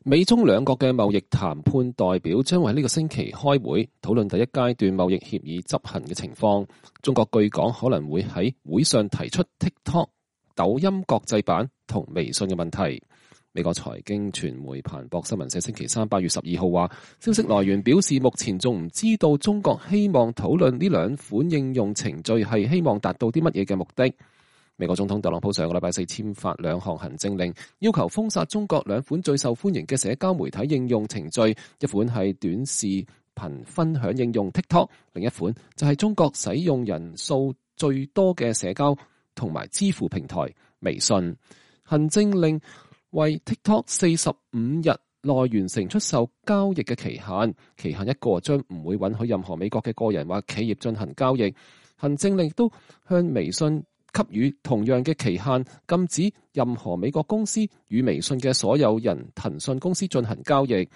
美中兩國嘅貿易談判代表將會喺呢個星期開會，討論第一階段貿易協議執行嘅情況。中國據講可能會喺會上提出 TikTok、抖音國際版同微信嘅問題。美國財經傳媒彭博新聞社星期三8月12號話，消息來源表示目前仲唔知道中國希望討論呢兩款應用程序係希望達到啲乜嘢嘅目的。美國總統特朗普上個禮拜四簽發兩項行政令，要求封殺中國兩款最受歡迎嘅社交媒體應用程序，一款係短視頻分享應用 TikTok， 另一款就係中國使用人數最多嘅社交同埋支付平台微信。行政令為 TikTok 45日內完成出售交易嘅期限一過將唔會允許任何美國嘅個人或企業進行交易。行政令亦都向微信給予同樣嘅期限，禁止任何美國公司與微信嘅所有人騰訊公司進行交易。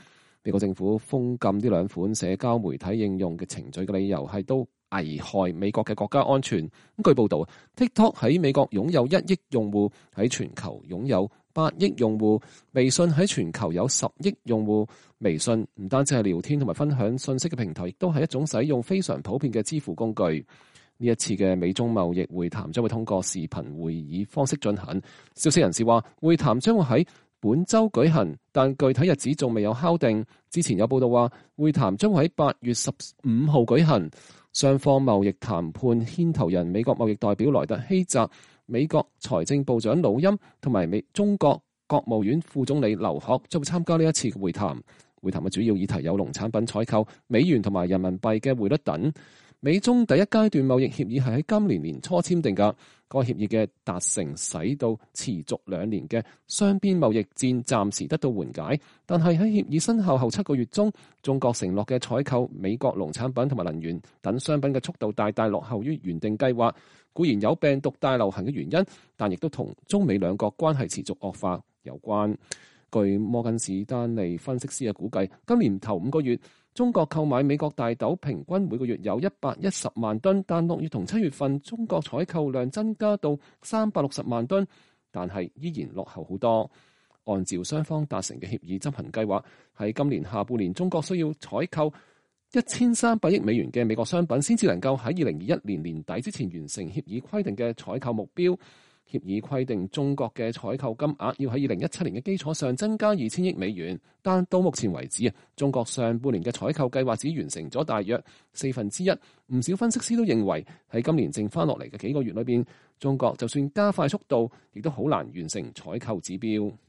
美國政府封禁呢兩款社交媒體應用嘅程序嘅理由係都危害美國嘅國家安全。據報道 TikTok 喺美國擁有1億用戶，喺全球擁有8億用戶，微信喺全球有10億用戶。微信唔單止係聊天同埋分享信息嘅平台，亦都係一種使用非常普遍嘅支付工具。呢一次嘅美中貿易會談將會通過視頻會議方式進行。消息人士話，會談將會喺本週舉行，但具體日子仲未有敲定。之前有報道話，會談將會喺8月15號舉行。雙方貿易談判牽頭人美國貿易代表萊特希澤、美國財政部長魯欽同埋中國國務院副總理劉鶴將會參加呢一次嘅會談。會談嘅主要議題有農產品採購、美元同埋人民幣嘅匯率等。美中第一階段貿易協議係喺今年年初簽訂㗎，該協議嘅達成使到持續2年嘅雙邊貿易戰暫時得到緩解，但係喺協議生效後7個月中，中國承諾嘅採購美國農產品同埋能源等商品嘅速度大大落後於原定計劃。固然有病毒大流行嘅原因，但亦都同中美兩國關係持續惡化有關。據摩根士丹利分析師嘅估計，今年頭5個月，中國購買美國大豆平均每個月有110萬噸，但6月同7月份中國採購量增加到360萬噸，但係依然落後好多。按照雙方達成嘅協議執行計劃，喺今年下半年，中國需要採購1300億美元嘅美國商品，先至能夠喺2021年年底之前完成協議規定嘅採購目標。協議規定中國嘅採購金額要喺2017年嘅基礎上增加2000億美元，但到目前為止，中國上半年嘅採購計劃只完成咗大約1/4。唔少分析師都認為喺今年剩翻落嚟嘅幾個月裏邊，中國就算加快速度，亦都好難完成採購指標。